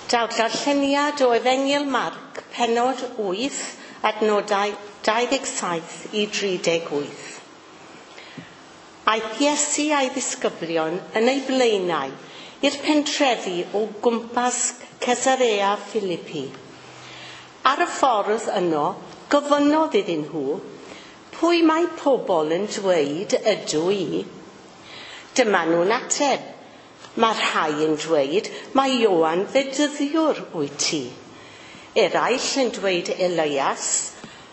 Daw'r darlleniad o Efengyl Marc, pennod 8, adnodau 27 i 38. Aeth Iesu a'i ddisgyblion yn ei blaenau i'r pentrefi o gwmpas Caesarea Philippi. Ar y ffordd yno, gofynnodd iddyn nhw, pwy mae pobl yn dweud ydw i? Dyma nhw'n ateb, Mae rhai yn dweud mae Ioan Fedyddiwr wyt ti. Eraill yn dweud Elias,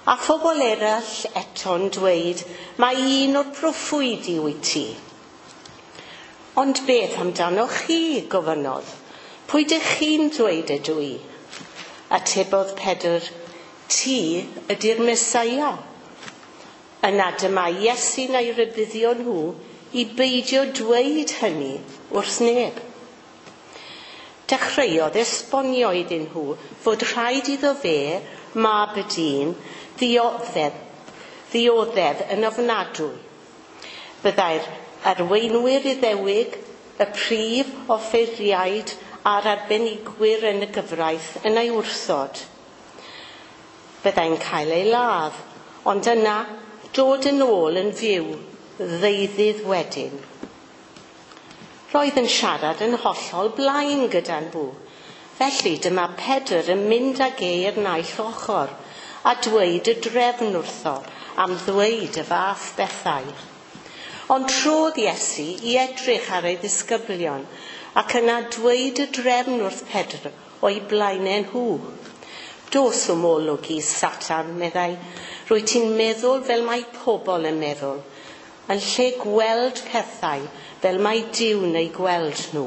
a phobl eraill eto'n dweud mae un o'r proffwydi wyt ti. Ond beth amdanoch chi, gofynnodd. Pwy dych chi'n dweud ydw i? Atebodd Pedr, ti ydy'r Mesaia. Yna dyma Iesu'n ei rybuddio nhw i beidio dweud hynny wrth neb. Dechreuodd esbonio iddyn nhw fod rhaid iddo fe, mab y dyn, ddioddef, ddioddef yn ofnadwy. Byddai'r arweinwyr Iddewig, y prif offeiriaid a'r arbenigwyr yn y gyfraith yn ei wrthod. Byddai'n cael ei ladd, ond yna dod yn ôl yn fyw ddeuddydd wedyn. Roedd yn siarad yn hollol blaen gyda nhw. Felly dyma Pedr yn mynd ag e i'r naill ochr a dweud y drefn wrtho am ddweud y fath bethau. Ond trodd Iesu i edrych ar ei ddisgyblion ac yna dweud y drefn wrth Pedr o'i blaenau nhw. Dos o'm olwg i, Satan, meddai. Rwy ti'n meddwl fel mae pobl yn meddwl, yn lle gweld pethau fel mae Duw'n eu gweld nhw.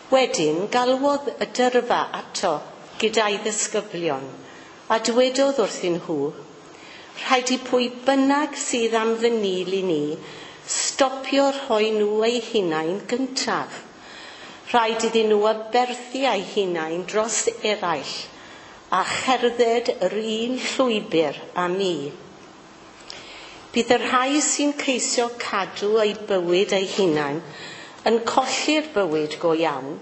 Wedyn galwodd y dyrfa ato gyda'i ddisgyblion a dwedodd wrthyn nhw, rhaid i pwy bynnag sydd am fy nil i ni stopio rhoi nhw eu hunain gyntaf. Rhaid iddyn nhw aberthu eu hunain dros eraill a cherdded yr un llwybr â mi. Bydd y rhai sy'n ceisio cadw eu bywyd eu hunain yn colli'r bywyd go iawn,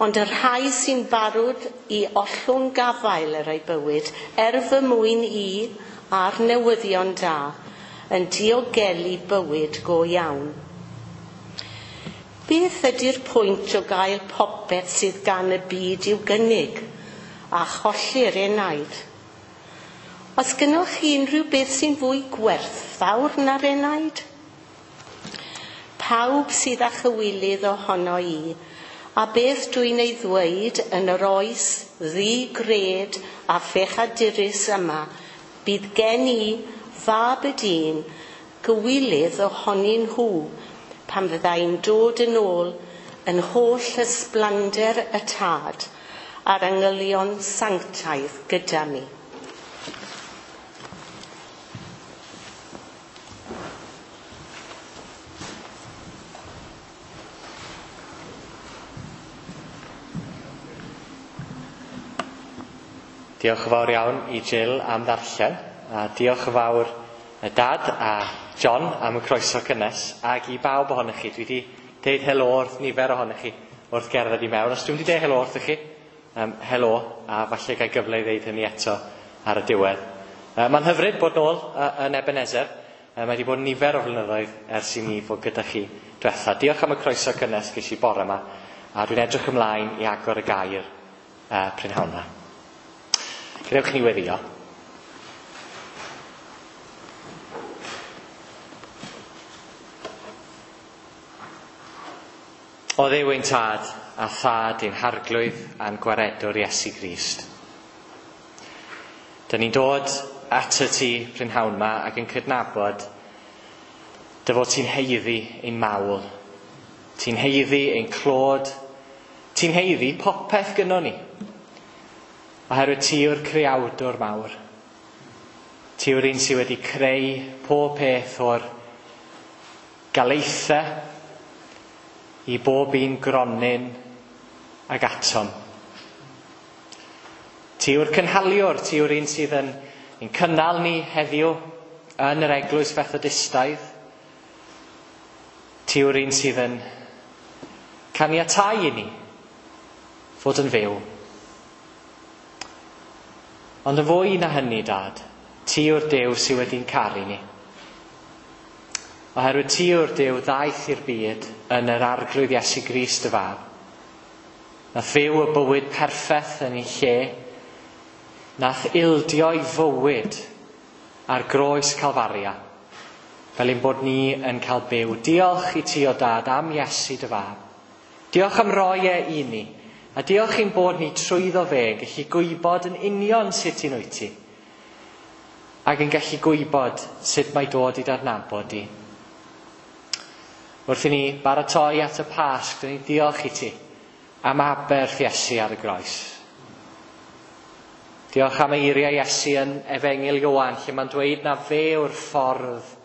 ond y rhai sy'n barod i ollwng gafael ar eu bywyd er fy mwyn i a'r newyddion da yn diogelu bywyd go iawn. Beth ydy'r pwynt o gael popeth sydd gan y byd i'w gynnig a cholli'r enaid? Os gynnwch chi unrhyw beth sy'n fwy gwerthfawr na'r enaid? Pawb sydd â chywilydd ohono i, a beth dwi'n ei ddweud yn yr oes ddi-gred a phechadurus yma, bydd gen i, fab y dyn, gywilydd ohonyn nhw pan fyddai'n dod yn ôl yn holl ysblander y tad a'r angylion sanctaidd gyda mi. Diolch yn fawr iawn i Jill am ddarllen, a diolch yn fawr y Dad a John am y croeso cynnes, ac i bawb ohonych chi. Dwi wedi deud helo wrth nifer ohonych chi wrth gerdded i mewn. Os dwi'n wedi deud helo wrthych chi, helo, a falle gael gyfle i ddeud hynny eto ar y diwedd. Mae'n hyfryd bod nôl yn Ebenezer. Mae wedi bod nifer o flynyddoedd ers i mi fod gyda chi diwetha. Diolch am y croeso cynnes ges i bore yma, a dwi'n edrych ymlaen i agor y gair prynhawn yma. Gwnewch ni weddio. O Dduw ein tad a thad ein harglwydd a'n gwaredwr Iesu Grist. Dyn ni'n dod at y ti prynhawn yma ac yn cydnabod dy fod ti'n haeddu ein mawl, ti'n haeddu ein clod, ti'n haeddu popeth gynnon ni. Oherwydd ti yw'r creawdwr mawr. Ti yw'r un sydd wedi creu pob peth o'r galaethau i bob un gronyn ag atom. Ti yw'r cynhaliwr, ti yw'r un sydd yn cynnal ni heddiw yn yr eglwys Fethodistaidd. Ti yw'r un sydd yn caniatáu i ni fod yn fyw. Ond yn fwy na hynny, Dad, ti yw'r Duw sydd wedi'n caru ni. Oherwydd ti yw'r Duw ddaeth i'r byd yn yr Arglwydd Iesu Grist y Fab. Nath fyw y bywyd perffaith yn ei lle. Nath ildio'i fywyd ar groes Calfaria, fel ein bod ni yn cael byw. Diolch i ti o Dad am Iesu dy Fab. Diolch am roi e i ni. A diolch i'n bod ni trwyddo fe yn gallu gwybod yn union sut un wyt ti. Ac yn gallu gwybod sut mae dod i d'adnabod di. Wrth i ni baratoi at y Pasg, dyn ni'n diolch i ti am aberth Iesu ar y groes. Diolch am eiriau Iesu yn Efengyl Ioan, lle mae'n dweud na fe yw'r ffordd,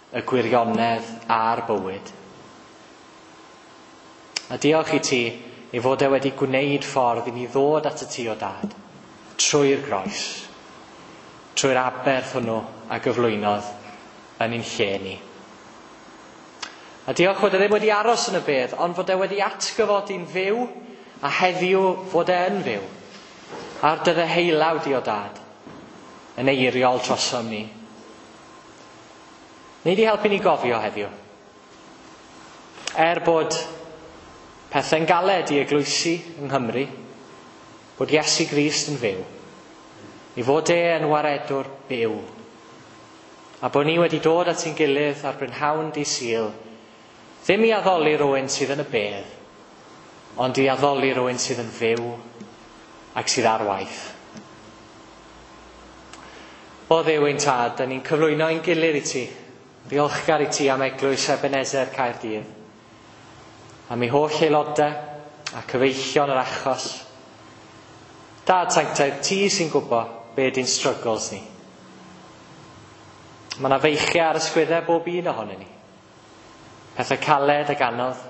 y gwirionedd a'r bywyd. A diolch i ti ei fod e wedi gwneud ffordd i ni ddod at y ti o Dad, trwy'r groes, trwy'r aberth hwnnw a gyflwynodd yn ein lle ni. A diolch fod e ddim wedi aros yn y bedd, ond fod e wedi atgyfodi'n fyw, a heddiw fod e yn fyw. A'r dy ddeheulaw di o Dad, yn eiriol trosom ni. Nei di helpu ni gofio heddiw. Er bod pethau'n galed i eglwysi yng Nghymru, bod Iesu Grist yn fyw, i fod e yn waredwr byw, a bod ni wedi dod at ein gilydd ar brynhawn dydd Sul, ddim i addoli rhywun sydd yn y bedd, ond i addoli rhywun sydd yn fyw ac sydd ar waith. O Dduw ein Tad, da ni'n cyflwyno ein gilydd i ti, ddiolchgar i ti am Eglwys Ebenezer Caerdydd, am ei holl aelodau a cyfeillion yr achos. Dad Sanctaidd, ti sy'n gwybod be di'n struggles ni. Mae yna feichiau ar ysgwyddau bob un ohonyn ni. Pethau caled ac anodd.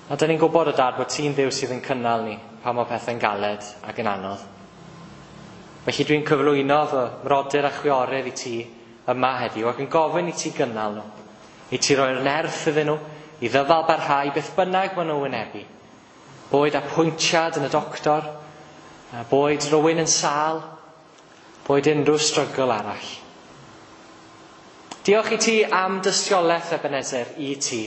A dyn ni'n gwybod o Dad bod ti'n Dduw sydd yn cynnal ni pan mae pethau'n galed ac yn anodd. Felly dwi'n cyflwyno fy mrodyr a chwiorydd i ti yma heddiw ac yn gofyn i ti gynnal nhw. I ti roi'r nerth iddyn nhw, i ddyfal barhau beth bynnag maen nhw'n wynebu. Boed apwyntiad yn y doctor, boed rhywun yn sâl, boed unrhyw strygl arall. Diolch i ti am dystiolaeth Ebenezer i ti.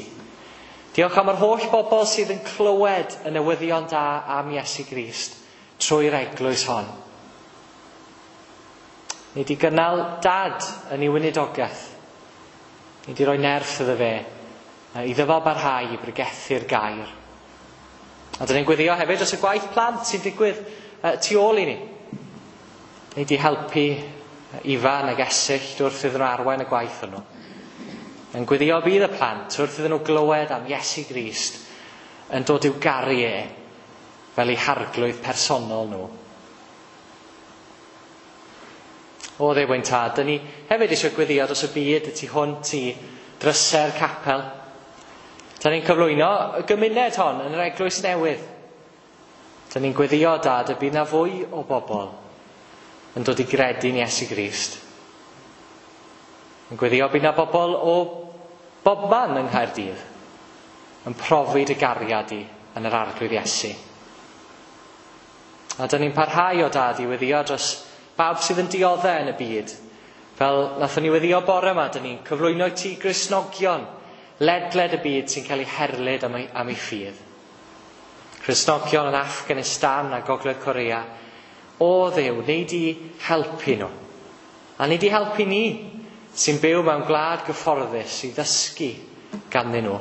Diolch am yr holl bobl sydd yn clywed y newyddion da am Iesu Grist trwy'r eglwys hon. Ni di gynnal Dad yn ei weinidogaeth. Ni di roi nerth iddo fe i ddyfal barhau i bregethu'r gair. A dyn ni'n gweddio hefyd dros y gwaith plant sy'n digwydd tu ôl i ni. Ni di helpu Ifan ag Esyllt wrth iddyn nhw arwain y gwaith hwnnw. Yn gweddio bydd y plant wrth iddyn nhw glywed am Iesu Grist yn dod i'w garu e fel eu harglwydd personol nhw. O Dduw ein Tad, dyn ni hefyd eisiau gweddio dros y byd y tu hwnt i drysau'r capel. Dyn ni'n cyflwyno y gymuned hon yn yr eglwys newydd. Dyn ni'n gweddio, Dad, y bydd na fwy o bobl yn dod i gredu'n Iesu Grist. Yn gweddio bydd na bobl o bobman yng Nghaerdydd yn profi dy gariad di yn yr Arglwydd Iesu. A dyn ni'n parhau o Dad i weddio dros bawb sydd yn dioddef yn y byd. Fel nathon ni weddio bore yma, dyn ni'n cyflwyno i ti Gristnogion ledled y byd sy'n cael eu herlid am ei ffydd. Cristnogion yn Afghanistan a Gogledd Korea. O Dduw, nei di helpu nhw. A nei di helpu ni sy'n byw mewn gwlad gyfforddus i ddysgu ganddyn nhw.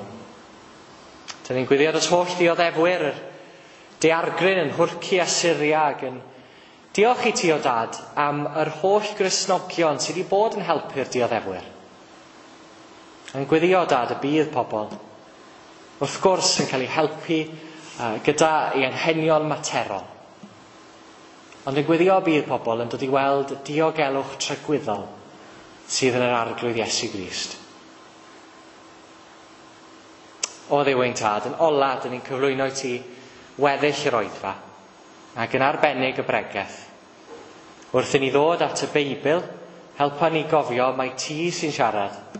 Dyn ni'n gweddio dros holl dioddefwyr yr daeargryn yn Nhwrci a Syria ac yn diolch i ti o Dad am yr holl Gristnogion sydd wedi bod yn helpu'r dioddefwyr. Yn gweddio Dad y bydd pobl wrth gwrs yn cael eu helpu gyda ei anghenion materol. Ond yn gweddio bydd pobl yn dod i weld diogelwch tragwyddol sydd yn yr Arglwydd Iesu Grist. O Dduw ein Tad, yn ola, dyn ni'n cyflwyno i ti weddill yr oedfa, ac yn arbennig y bregeth. Wrth i ni ddod at y Beibl, helpa ni gofio mai ti sy'n siarad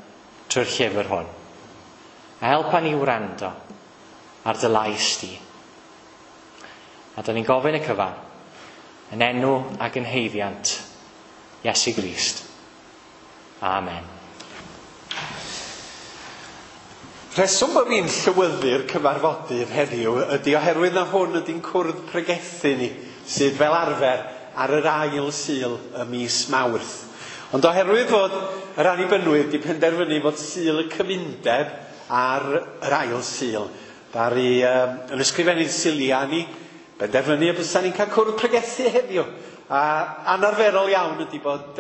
trwy'r llyfr hwn. A helpa ni wrando ar dy lais di. A da ni'n gofyn y cyfan yn enw ac yn haeddiant Iesu Grist. Amen. Rheswm bod fi'n llywyddu'r cyfarfodydd heddiw ydy oherwydd na hwn ydy'n cwrdd pregethu ni, sydd fel arfer ar yr ail Sul y mis Mawrth. Ond oherwydd fod yr Annibynwyr wedi penderfynu fod Sul y Cymundeb ar yr ail Sul, ddaru yn ysgrifennydd Sulia ni benderfynu y bysa ni'n cael cwrdd pregethu heddiw. A anarferol iawn ydy bod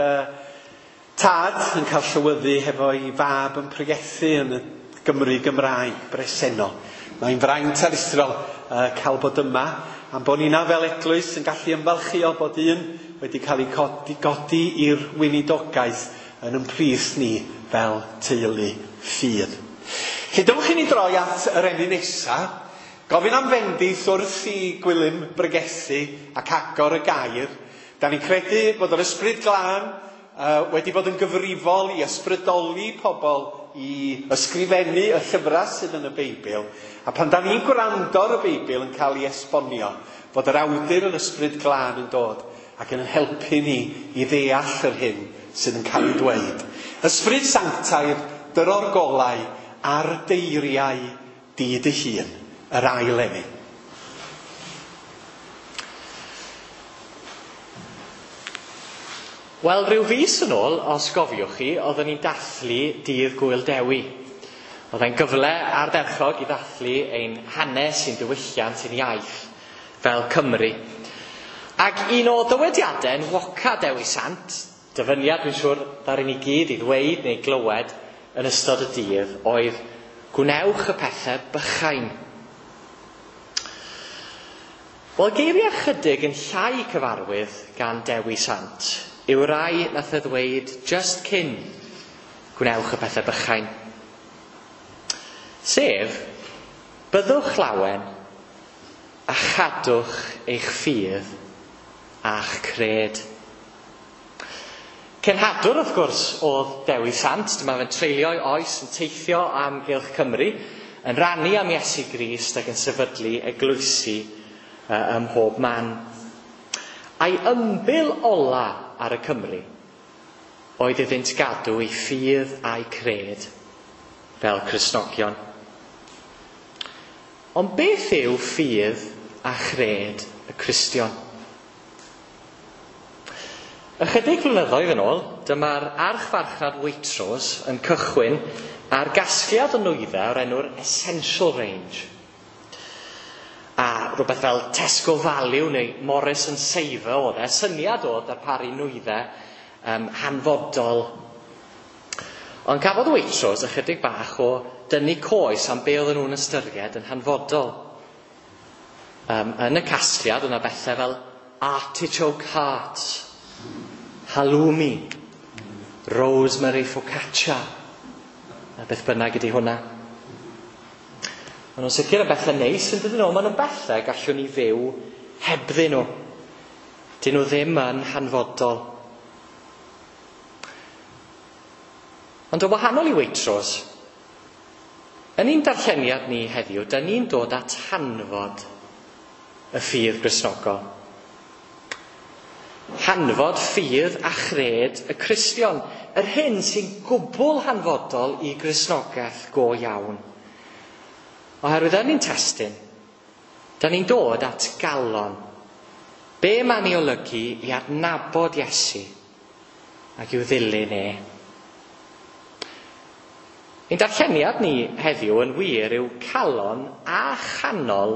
tad yn cael llywyddu hefo'i fab yn pregethu yn y Gymru Gymraeg bresennol. Mae'n fraint aruthrol cael bod yma, am bod ni'na fel eglwys yn gallu ymfalchïo bod un wedi cael ei godi i'r weinidogaeth yn ymplith ni fel teulu ffydd. Felly dewch i ni droi at yr emyn nesa, gofyn am fendith wrth i Gwilym bregethu ac agor y gair. Da ni'n credu bod yr Ysbryd Glân wedi bod yn gyfrifol i ysbrydoli pobl i ysgrifennu y llyfrau sydd yn y Beibl. A pan da ni'n gwrando ar y Beibl yn cael ei esbonio, bod yr awdur yr Ysbryd Glân yn dod ac yn helpu ni i ddeall yr hyn sydd yn cael ei dweud. Ysbryd Sanctaidd, dyro'r golau ar deiriau di dy hun, yr ail emyn. Wel, rhyw fis yn ôl, os gofiwch chi, oedden ni'n dathlu Dydd Gŵyl Dewi. Oedd e'n gyfle ardderchog i ddathlu ein hanes, ein diwylliant, ein iaith fel Cymru. Ac un o ddywediadau enwoca Dewi Sant, dyfyniad dwi'n siŵr ddaru ni gyd i ddweud neu glywed yn ystod y dydd, oedd gwnewch y pethau bychain. Wel, geiriau chydig yn llai cyfarwydd gan Dewi Sant yw rai nath e ddweud just cyn gwnewch y pethau bychain. Sef, byddwch lawen a chadwch eich ffydd a'ch cred. Cenhadwr, wrth gwrs, oedd Dewi Sant. Dyma fe'n treulio'i oes yn teithio am gylch Cymru, yn rannu am Iesu Grist ac yn sefydlu eglwysi ym mhob man. A'i ymbil ola ar y Cymru oedd iddynt gadw ei ffydd a'i cred fel Cristnogion. Ond beth yw ffydd a chred y Cristion? Ychydig flynyddoedd yn ôl, dyma'r archfarchnad Waitrose yn cychwyn ar gasgliad o nwyddau o'r enw'r Essential Range. A rhywbeth fel Tesco Value neu Morris and Saver oedd e, syniad oedd darparu nwyddau hanfodol. Ond cafodd Waitrose ychydig bach o dynnu coes am be oedden nhw'n ystyried yn hanfodol. Yn y casgliad yna bethau fel artichoke hearts, halloumi, rosemary focaccia, a beth bynnag ydy hwnna. Maen nhw'n sicr yn bethau neis yn dydyn nhw, maen nhw'n bethau gallwn ni fyw hebddyn nhw. Dyn nhw ddim yn hanfodol. Ond o wahanol i Waitrose, yn ein darlleniad ni heddiw, da ni'n dod at hanfod y ffydd Gristnogol. Hanfod ffydd a chred y Cristion, yr hyn sy'n gwbl hanfodol i Gristnogaeth go iawn. Oherwydd yn ein testun, da ni'n dod at galon. Be mae'n ei olygu i adnabod Iesu ac i'w ddilyn e. Ein darlleniad ni heddiw yn wir yw calon a chanol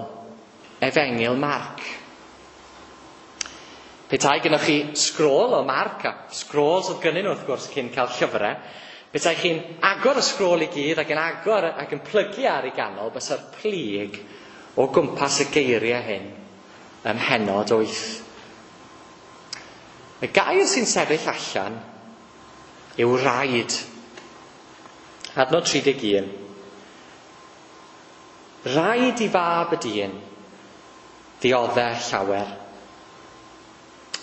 Efengyl Marc. Petai gynnwch chi sgrôl o Marc, a sgrols oedd gynnyn nhw wrth gwrs cyn cael llyfrau, petai chi'n agor y sgrôl i gyd ac yn agor ac yn plygu ar ei ganol, bysa'r plyg o gwmpas y geiriau hyn ym mhennod 8. Y gair sy'n sefyll allan yw rhaid. Adnod 31. Rhaid i fab y dyn dioddef llawer.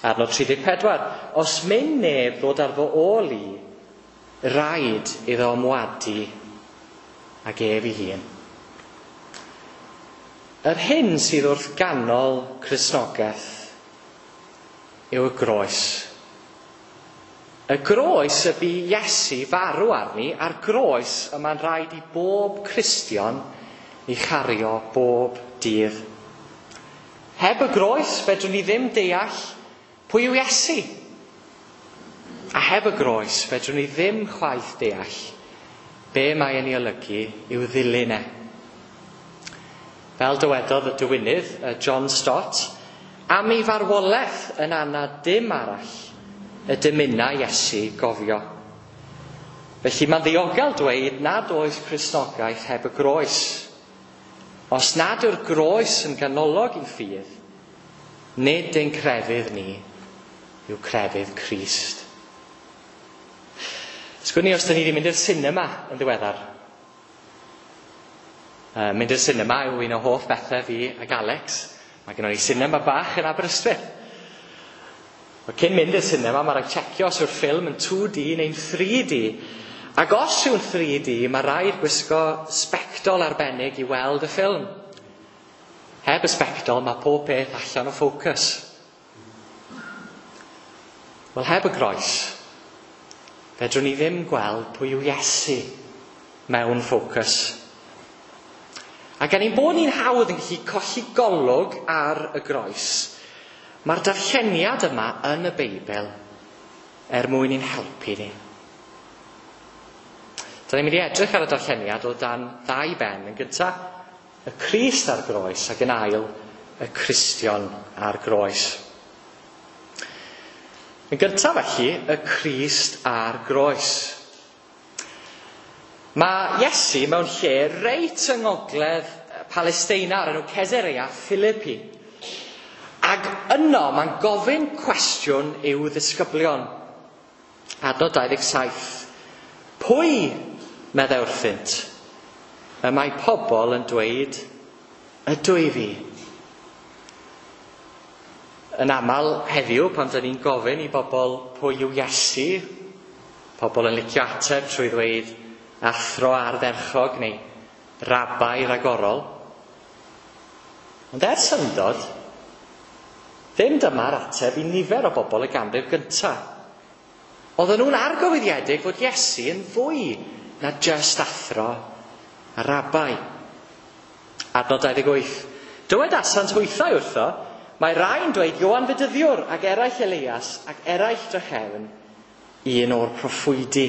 Adnod 34. Os myn neb ddod ar fy ôl i, rhaid iddo ymwadu ag ef ei hun. Yr hyn sydd wrth ganol Cristnogaeth yw y groes. Y groes y bu Iesu farw arni, a'r groes y mae'n rhaid i bob Cristion ei chario bob dydd. Heb y groes, fedrwn ni ddim deall pwy yw Iesu. A heb y groes, fedrwn ni ddim chwaith deall be mae yn ei olygu i'w ddilyn e. Fel dywedodd y dywinydd, John Stott, am ei farwolaeth yn anad dim arall y dymuna Iesu gofio. Felly mae'n ddiogel dweud nad oes Cristnogaeth heb y groes. Os nad yw'r groes yn ganolog i'n ffydd, nid ein crefydd ni yw crefydd Crist. Sgwn i os da ni wedi mynd i'r sinema yn ddiweddar. Mynd i'r sinema yw un o hoff bethau fi ag Alex. Mae gennon ni sinema bach yn Aberystwyth. Wel, cyn mynd i'r sinema, mae rhaid checio os yw'r ffilm yn 2D neu'n 3D. Ac os yw'n 3D, mae rhaid gwisgo sbectol arbennig i weld y ffilm. Heb y sbectol, mae pob peth allan o ffocws. Wel, heb y groes, fedrwn ni ddim gweld pwy yw Iesu mewn ffocws. A gan ein bod ni'n hawdd yn gallu colli golwg ar y groes, mae'r darlleniad yma yn y Beibl er mwyn i'n helpu ni. Da ni'n mynd i edrych ar y darlleniad o dan ddau ben. Yn gyntaf, y Crist ar groes, ac yn ail, y Cristion ar groes. Yn gyntaf felly, y Crist ar groes. Mae Iesu mewn lle reit yng ngogledd Palesteina o'r enw Caesarea Philippi. Ac yno mae'n gofyn cwestiwn i'w ddisgyblion. Adnod 27. Pwy, meddai wrthynt, y mae pobl yn dweud, ydw i fi? Yn aml heddiw, pan dyn ni'n gofyn i bobl pwy yw Iesu, pobl yn licio ateb trwy ddweud athro ardderchog neu rabai ragorol. Ond er syndod, ddim dyma'r ateb i nifer o bobl y ganrif gyntaf. Oedden nhw'n argyhoeddiedig fod Iesu yn fwy na jyst athro a rabai. Adnod 28. Dywedasant hwythau wrtho, mae rhai'n dweud Ioan Fedyddiwr ac eraill Elias ac eraill drachefn, un o'r proffwydi.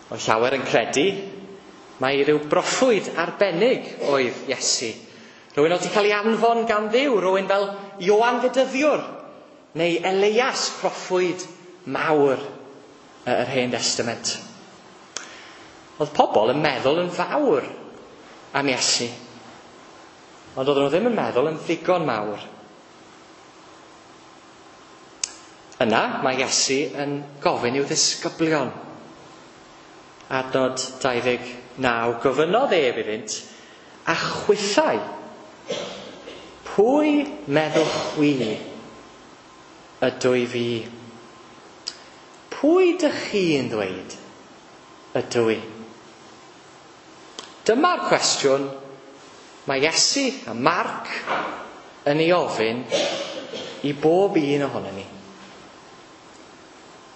Oedd llawer yn credu mai rhyw broffwyd arbennig oedd Iesu. Rhywun oedd wedi cael ei anfon gan Dduw, rhywun fel Ioan Fedyddiwr neu Elias, proffwyd mawr yr Hen Testament. Oedd pobl yn meddwl yn fawr am Iesu, ond oedden nhw ddim yn meddwl yn ddigon mawr. Yna mae Iesu yn gofyn i'w ddisgyblion. Adnod 29, gofynnodd ef iddynt, a chwithau, pwy meddwch chwi ydw i fi? Pwy dych chi'n ddweud ydw i? Dyma'r cwestiwn mae Iesu a Marc yn ei ofyn i bob un ohonon ni.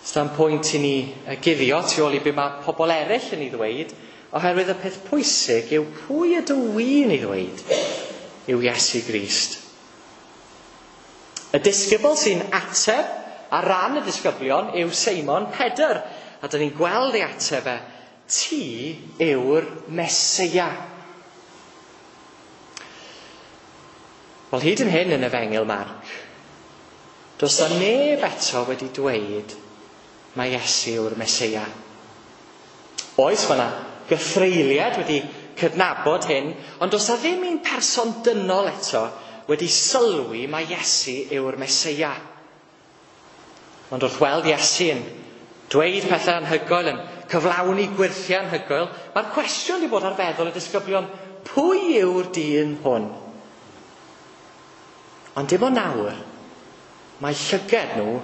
Sdim pwynt i ni guddio tu ôl i be mae pobl eraill yn ei ddweud, oherwydd y peth pwysig yw pwy ydw i'n ei ddweud yw Iesu Grist. Y disgybl sy'n ateb ar ran y disgyblion yw Seimon Pedr, a dyn ni'n gweld ei ateb e, ti yw'r Meseia. Wel, hyd yn hyn yn Efengyl Marc, does 'na neb eto wedi dweud mae Iesu yw'r Meseia. Oes, mae yna gythreuliad wedi cydnabod hyn, ond does 'na ddim un person dynol eto wedi sylwi mae Iesu yw'r Meseia. Ond wrth weld Iesu yn dweud pethau anhygoel, yn cyflawni gwyrthiau anhygoel, mae'r cwestiwn wedi bod ar feddwl y disgyblion, pwy yw'r dyn hwn? Ond dim ond nawr, mae llyged nhw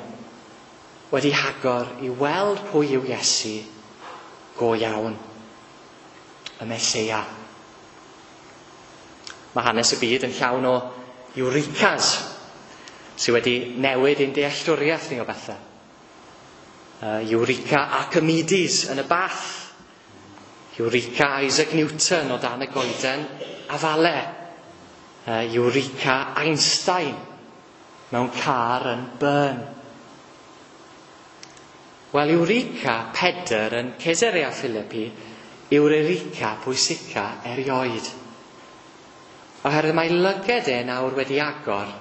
wedi hagor i weld pwy yw Iesu go iawn, y Meseia. Mae hanes y byd yn llawn o eurekas sydd wedi newid ein dealltwriaeth ni o bethau. Eureka Archimedes yn y bath. Eureka Isaac Newton o dan y goeden afale. Eureka Einstein mewn car yn Bern. Wel, Eureka Pedr yn Caesarea Philippi yw'r Eureka pwysica erioed. Oherwydd mae lyged e nawr wedi agor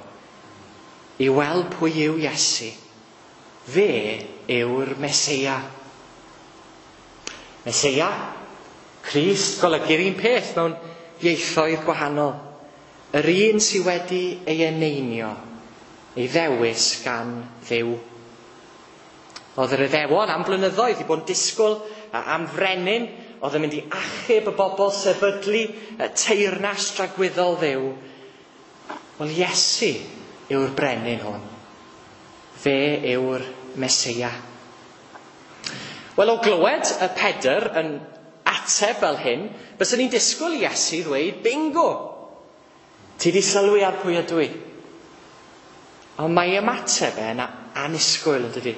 i weld pwy yw Iesu. Fe yw'r Meseia. Meseia, Crist golygu'r un peth mewn ieithoedd gwahanol. Yr un sydd wedi ei eneinio, ei ddewis gan Dduw. Oedd yr Iddewon am blynyddoedd i bod yn disgwyl am frenin oedd yn mynd i achub y bobl sefydlu y teyrnas dragwyddol Dduw. Wel, Iesu yw'r brenin hwn. Fe yw'r Meseia. Wel, o glywed y Pedr yn ateb fel hyn, byswn ni'n disgwyl i Iesu ddweud, bingo! Ti di sylwi ar pwy ydw i. Ond mae ymateb e'n annisgwyl, yn dydi?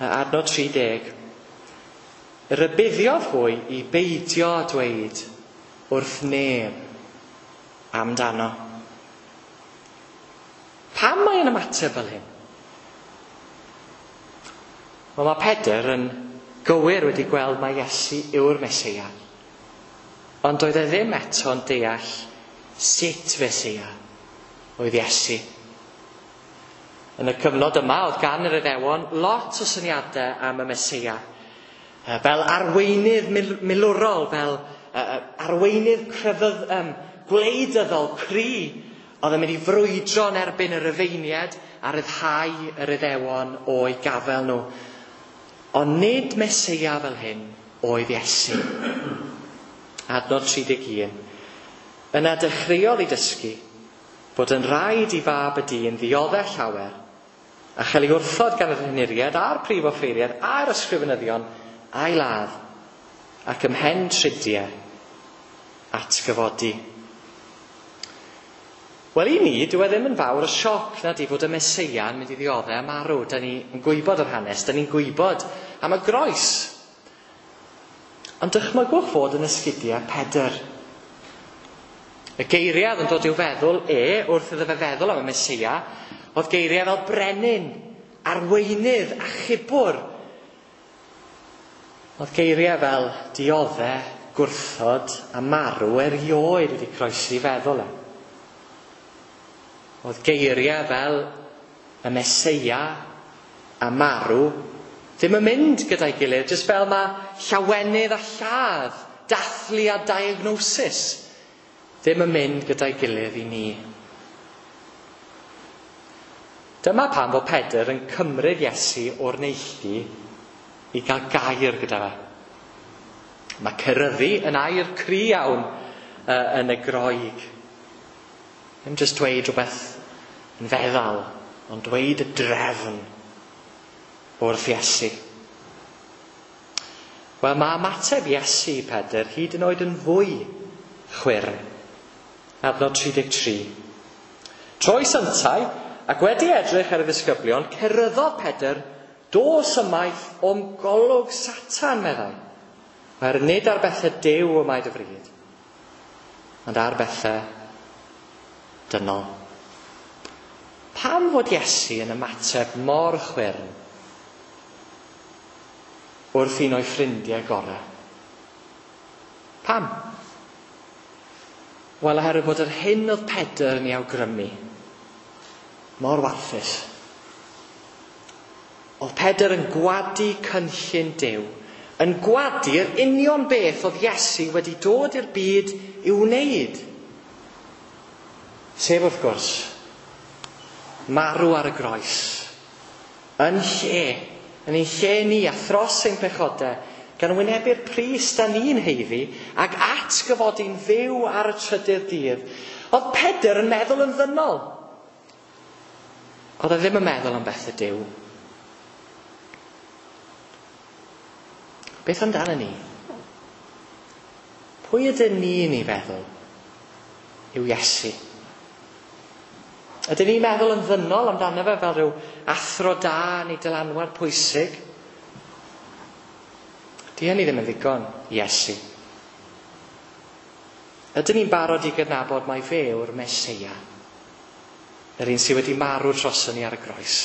Adnod 30. Rybuddiodd hwy i beidio â dweud wrth neb amdano. Pam mae yn ymateb fel hyn? Wel, mae Pedr yn gywir wedi gweld mai Iesu yw'r Meseia. Ond doedd e ddim eto'n deall sut Feseia oedd Iesu. Yn y cyfnod yma, oedd gan yr Iddewon lot o syniadau am y Meseia. Fel arweinydd milwrol, fel arweinydd crefydd, gwleidyddol cry, oedd yn mynd i frwydro yn erbyn y Rufeiniaid a ryddhau yr Iddewon o'i gafel nhw. Ond nid Meseia fel hyn oedd Iesu. Adnod 31. Yna dechreuodd i dysgu bod yn rhaid i fab y dyn ddioddef llawer a chael ei wrthod gan yr henuriaid a'r prif offeiriaid a'r ysgrifenyddion a'i ladd ac ymhen tridiau atgyfodi. Wel, i ni, dyw e ddim yn fawr o sioc na di fod y Meseia yn mynd i ddioddef a marw. Da ni'n gwybod yr hanes, da ni'n gwybod am y groes. Ond dychmygwch fod yn esgidiau Pedr. Y geiriau oedd yn dod i'w feddwl e, wrth iddo fe feddwl am y Meseia, oedd geiriau fel brenin, arweinydd, achubwr. Oedd geiriau fel diodde, gwrthod a marw erioed wedi croesi feddwl e. Oedd geiriau fel y Meseia a marw ddim yn mynd gyda'i gilydd, jyst fel mae llawenydd a lladd, dathlu a diagnosis ddim yn mynd gyda'i gilydd i ni. Dyma pam fod Pedr yn cymryd Iesu o'r neilltu i gael gair gyda fe. Mae ceryddu yn air cry iawn yn y Groeg. Ddim jyst dweud rhywbeth yn feddal, ond dweud y drefn wrth Iesu. Wel, mae ymateb Iesu i Pedr hyd yn oed yn fwy chwyrn. Adnod 33. Troes yntau, ac wedi edrych ar y ddisgyblion, ceryddodd Pedr, dos ymaith o'm golwg Satan, meddai. Oherwydd nid ar bethau Duw y mae dy fryd, ond ar bethau dynol. Pam fod Iesu yn ymateb mor chwyrn wrth un o'i ffrindiau gorau? Pam? Wel, oherwydd bod yr hyn oedd Pedr yn ei awgrymu mor warthus. Oedd Pedr yn gwadu cynllun Duw, yn gwadu'r union beth oedd Iesu wedi dod i'r byd i'w wneud. Sef, wrth gwrs, marw ar y groes, yn lle, yn ein lle ni a thros ein pechodau, gan wynebu'r pris da ni'n haeddu ac atgyfodi'n fyw ar y trydydd dydd. Oedd Pedr yn meddwl yn ddynol. Oedd e ddim yn meddwl am bethau Duw. Beth amdano ni? Pwy ydyn ni'n ei feddwl yw Iesu? Ydyn ni'n meddwl yn ddynol amdano fe fel rhyw athro da neu dylanwad pwysig? Di hynny ddim yn ddigon, Iesu. Ydyn ni'n barod i gydnabod mai fe yw'r Meseia, yr un sydd wedi marw droson ni ar y groes,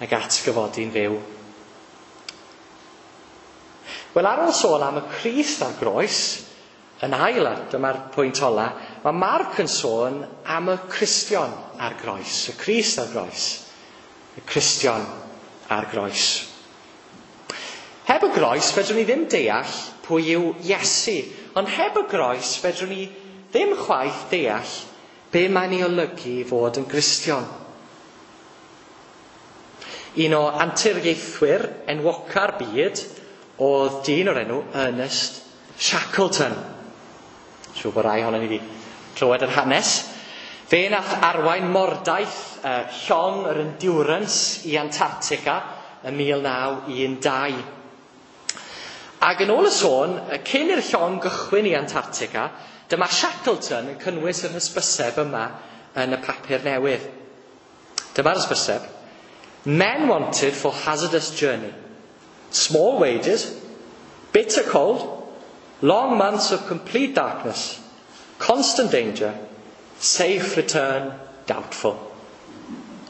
ac atgyfodi'n fyw? Wel, ar ôl sôn am y Crist ar groes, yn ail, a dyma'r pwynt ola, mae Marc yn sôn am y Cristion ar groes, y Crist ar groes, y Cristion ar groes. Heb y groes, fedrwn ni ddim deall pwy yw Iesu, ond heb y groes, fedrwn ni ddim chwaith deall be mae'n ei olygu i fod yn Gristion. Un o anturiaethwyr enwoca'r byd oedd dyn o'r enw Ernest Shackleton. Siŵr bod rai ohonon ni wedi clywed yr hanes. Fe nath arwain mordaith llong yr Endurance i Antarctica yn 1912. Ac yn ôl y sôn, cyn i'r llong gychwyn i Antarctica, dyma Shackleton yn cynnwys yr hysbyseb yma yn y papur newydd. Dyma'r hysbyseb. Men wanted for hazardous journey. Small wages, bitter cold, long months of complete darkness, constant danger, safe return doubtful.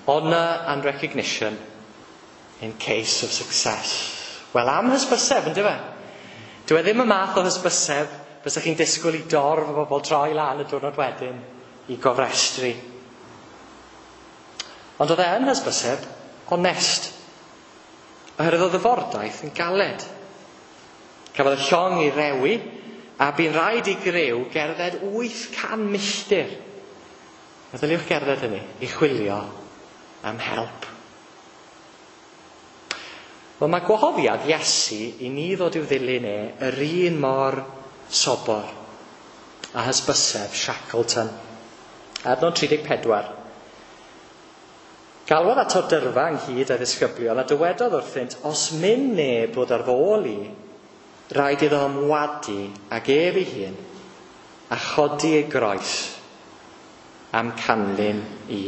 Honour and recognition in case of success. Wel, am hysbyseb, yn dyfe? Dyw e ddim y math o hysbyseb fysa chi'n disgwyl i dorf o bobl troi lan y diwrnod wedyn i gofrestru. Ond oedd e yn hysbyseb onest. Oherwydd oedd y fordaith yn galed. Cafodd y llong ei rewi a bu'n rhaid i griw gerdded 800 milltir. Meddyliwch gerdded hynny i chwilio am help. Wel, mae gwahoddiad Iesu i ni ddod i'w ddilyn e yr un mor sobor a hysbyseb Shackleton. Adnod 34. Galwodd ato'r dyrfa ynghyd â'i ddisgyblion a dywedodd wrthynt, os myn neb ddod ar fy ôl i, rhaid iddo ymwadu ag ef ei hun a chodi ei groes am canlyn i.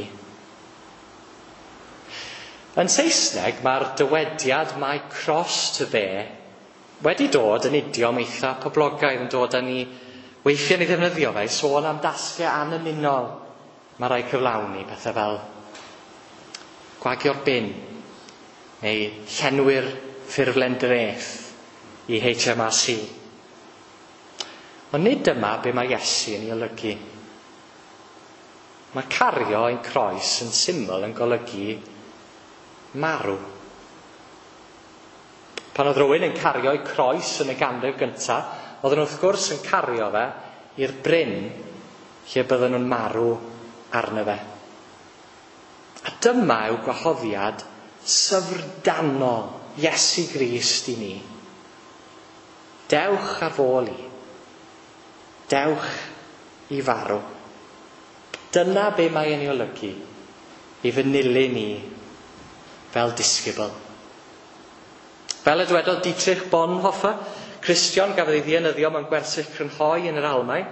Yn Saesneg, mae'r dywediad "my cross to bear" wedi dod yn idiom eitha poblogaidd, yn dod â ni weithiau ni ddefnyddio fe i sôn am dasgau annymunol mae rhaid cyflawni, pethau fel gwagio'r bin neu llenwi'r ffurflen dreth i HMRC. Ond nid dyma be mae Iesu yn ei olygu. Mae cario ein croes yn syml yn golygu marw. Pan oedd rhywun yn cario ei croes yn y ganrif gyntaf, oedden nhw wrth gwrs yn cario fe i'r bryn lle bydden nhw'n marw arno fe. A dyma yw gwahoddiad syfrdanol Iesu Grist i ni. Dewch ar f'ôl i. Dewch i farw. Dyna be mae yn ei olygu i fy nilyn i fel disgybl. Fel y dywedodd Dietrich Bonhoeffer, Cristion gafodd ei ddienyddio mewn gwersyll crynhoi yn yr Almaen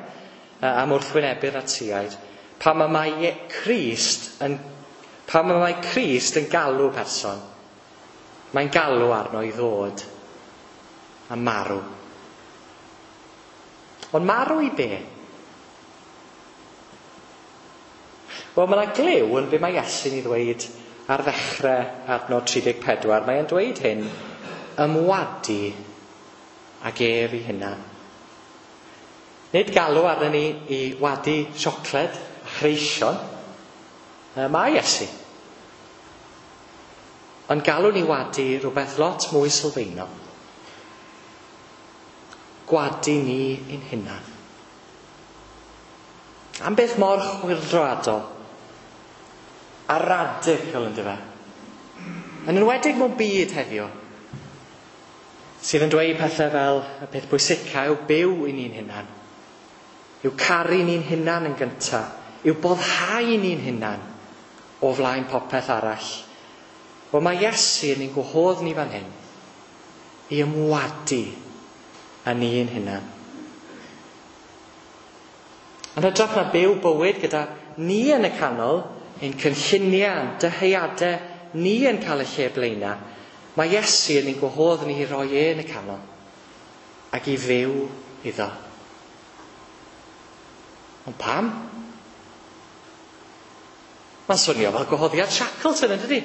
am wrthwynebu'r Natsiaid, pam mae Crist yn galw person, mae'n galw arno i ddod a marw. Ond marw i be? Wel, mae yna gliw yn be mae Iesu'n ei ddweud ar ddechrau adnod 34. Mae'n dweud hyn, ymwadu ag ef ei hunan. Nid galw arno ni i wadu siocled a chreision, mae Iesu. Ond galw ni wadu rhywbeth lot mwy sylfaenol. Gwadu ni ein hunan. Am beth mor chwyldroadol a radical, yn dyfe. Yn enwedig mewn byd heddiw, sydd yn dweud pethau fel y peth pwysica yw byw i ni'n hunan, yw caru ni'n hunan yn gyntaf, yw boddhau ni'n hunan o flaen popeth arall. Wel, mae Iesu yn ein gwahodd ni fan hyn i ymwadu â ni'n hunan. Yn hytrach na byw bywyd gyda ni yn y canol, ein cynlluniau a'n dyheadau ni yn cael y lle blaena, mae Iesu yn ein gwahodd ni i roi e yn y canol ac i fyw iddo. Ond pam? Mae'n swnio fel gwahoddiad Shackleton, yn dydi?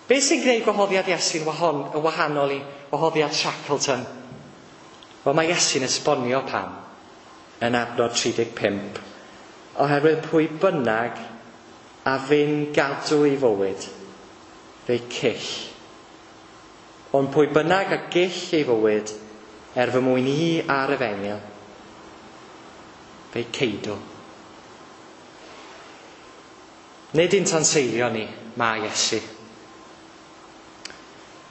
Be sy'n gwneud gwahoddiad Iesu'n wahanol i wahoddiad Shackleton? Wel, mae Iesu'n esbonio pam yn adnod 35. Oherwydd pwy bynnag a fyn gadw ei fywyd, fe'i cyll. Ond pwy bynnag a gyll ei fywyd, er fy mwyn i a'r efengyl, fe'i ceidw. Nid un tanseilio ni, mae Iesu.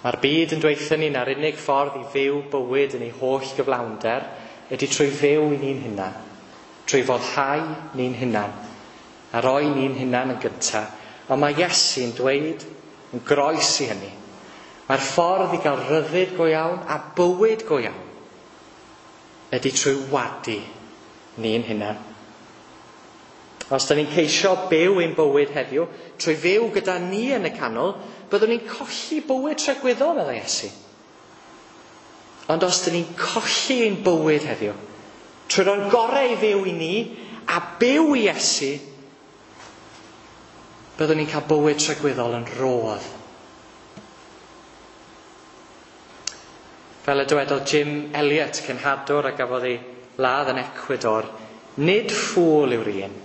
Mae'r byd yn dweutho ni na'r unig ffordd i fyw bywyd yn ei holl gyflawnder ydy trwy fyw i ni'n hunan, trwy foddhau ni'n hunan, a roi ni'n hunan yn gyntaf. Ond mae Iesu'n dweud yn groes i hynny. Mae'r ffordd i gael rhyddid go iawn a bywyd go iawn ydy trwy wadu ni'n hunan. Os da ni'n ceisio byw ein bywyd heddiw, trwy fyw gyda ni yn y canol, byddwn ni'n colli bywyd tragwyddol, meddai Iesu. Ond os da ni'n colli ein bywyd heddiw, trwy roi'r gorau i fyw i ni a byw i Iesu, byddwn ni'n cael bywyd tragwyddol yn rodd. Fel y dywedodd Jim Elliot, cenhadwr a gafodd ei ladd yn Ecuador, nid ffŵl yw'r un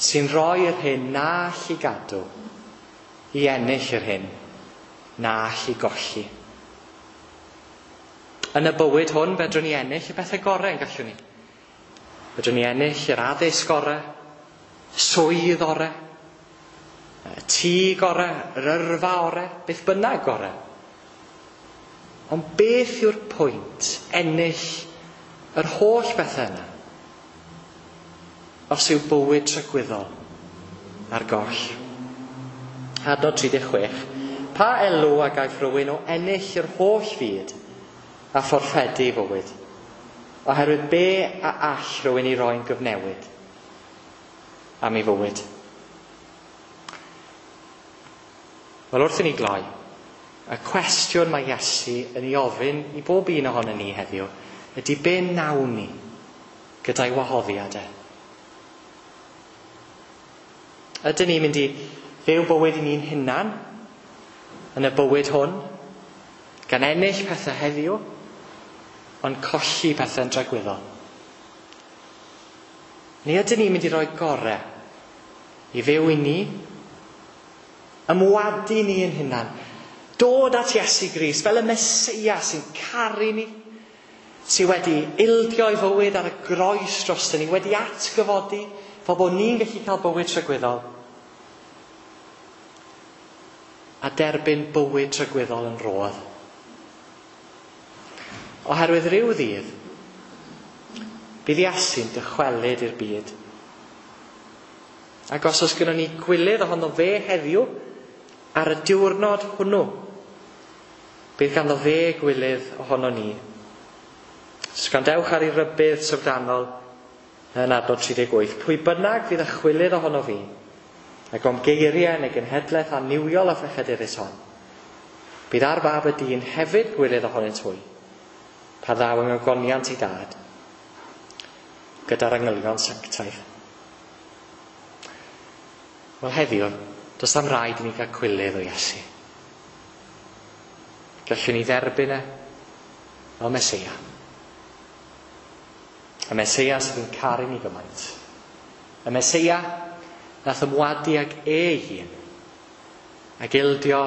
sy'n rhoi yr hyn na all i gadw i ennill yr hyn na all i golli. Yn y bywyd hwn, fedrwn ni ennill y bethau gorau yn gallwn ni. Fedrwn ni ennill yr addysg gorau, swydd orau, y tŷ gorau, yr yrfa orau, beth bynnag gorau. Ond beth yw'r pwynt ennill yr holl bethau yna os yw bywyd tragwyddol ar goll? Adnod 36. Pa elw a gaiff rhywun o ennill yr holl fyd a fforffedu ei fywyd? Oherwydd be a all rhywun i roi'n gyfnewid am ei fywyd? Wel, wrth i ni gloi, y cwestiwn mae Iesu yn ei ofyn i bob un ohonon ni heddiw ydy be nawn ni gyda'i wahoddiad e? Ydyn ni'n mynd i fyw bywyd i ni'n hunan yn y bywyd hwn, gan ennill pethau heddiw, ond colli pethau'n dragwyddol? Neu ydyn ni'n mynd i roi gorau i fyw i ni, ymwadu ni yn hunan, dod at Iesu Grist fel y Meseia sy'n caru ni, sydd wedi ildio ei fywyd ar y groes drosto ni, wedi atgyfodi, fel bod ni'n gallu cael bywyd tragwyddol, a derbyn bywyd tragwyddol yn rodd. Oherwydd rhyw ddydd, bydd Iesu'n dychwelyd i'r byd. Ac os oes gynnon ni gwilydd ohono fe heddiw, ar y diwrnod hwnnw, bydd ganddo fe gwilydd ohono ni. Sgandewch ar ei rybudd syfrdanol yn adnod 38. Pwy bynnag fydd y chwilydd ohono fi, ac o'm geiriau neu genhedlaeth annuwiol a phechadurus hon, bydd ar fab y dyn hefyd gwilydd ohonynt hwy, pa ddaw yng ngogoniant ei dad, gyda'r angylion sanctaidd. Wel heddiw, does am raid i ni gael cwilydd o Iesu. Gallwn ni dderbyn e fel Meseia. Y Meseia sydd yn caru ni gymaint. Y Meseia nath ymwadu ag e ei hun ac ildio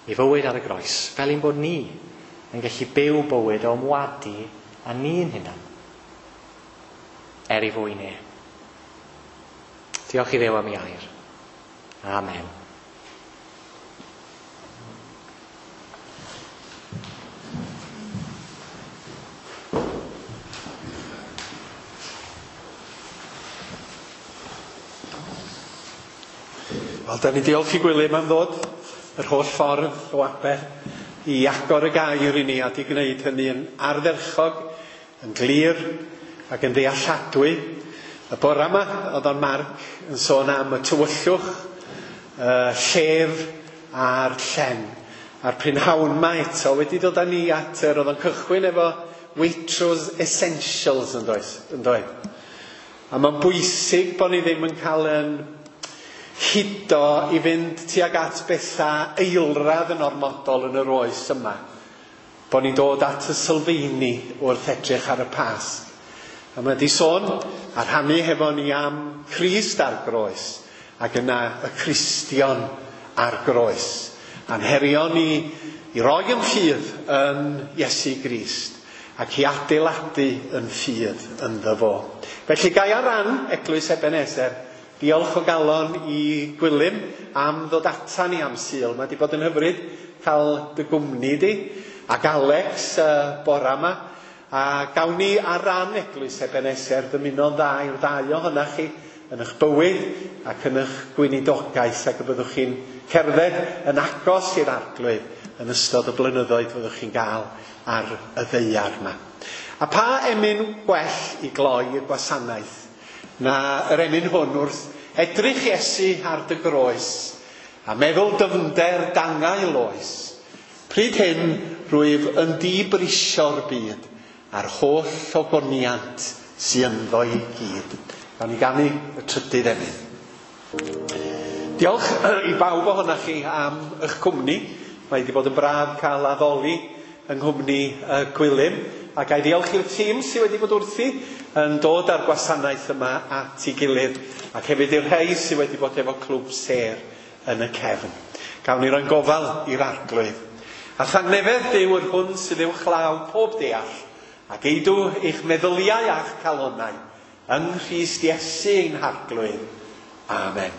ei fywyd ar y groes, fel ein bod ni yn gallu byw bywyd o ymwadu a ni'n hunan, er ei fwyn e. Diolch i Dduw am ei air. Amen. Wel, da ni diolch i Gwilym am ddod yr holl ffordd o Aber i agor y gair i ni a di gwneud hynny yn ardderchog, yn glir ac yn ddealladwy. Y bore yma, oedd o'n Mark yn sôn am y tywyllwch, y llef a'r llen. A'r prynhawn yma eto wedi dod â ni at yr, oedd o'n cychwyn efo Waitrose Essentials yn does, yn doedd. A mae'n bwysig bod ni ddim yn cael yn hudo i fynd tuag at bethau eilradd yn ormodol yn yr oes yma. Bod ni'n dod at y sylfeini wrth edrych ar y Pasg. A mae wedi sôn a rhannu hefo ni am Crist ar groes ac yna y Cristion ar groes. A'n herio ni i roi yn ffydd yn Iesu Grist ac i adeiladu yn ffydd ynddo fo. Felly gai ar ran Eglwys Ebenezer, diolch o galon i Gwilym am ddod ata ni am Sul. Mae wedi bod yn hyfryd cael dy gwmni di ac Alex bora yma. A gawn ni ar ran Eglwys Ebenezer ddymuno'n dda i'r ddau ohonoch chi yn eich bywyd ac yn eich gweinidogaeth, ac y byddwch chi'n cerdded yn agos i'r Arglwydd yn ystod y blynyddoedd fyddwch chi'n gael ar y ddaear yma. A pa emyn gwell i gloi y gwasanaeth na yr emyn hwn wrth edrych Iesu ar dy groes a meddwl dyfnder dangau loes. Pryd hyn rwyf yn dibrisio'r byd a'r holl ogoniant sy ynddo i gyd. Gawn ni ganu y trydydd emyn. Diolch i bawb ohonoch chi am eich cwmni. Mae wedi bod yn braf cael addoli yng nghwmni Gwilym. A ga i ddiolch i'r tîm sydd wedi bod wrthi yn dod â'r gwasanaeth yma at ei gilydd, ac hefyd i'r rhai sydd wedi bod efo Clwb Sêr yn y cefn. Gawn ni roi'n gofal i'r Arglwydd. A thangnefedd Duw yr hwn sydd uwchlaw pob deall, ac eidw eich meddyliau a'ch calonnau yng Nghrist Iesu ein Harglwydd. Amen.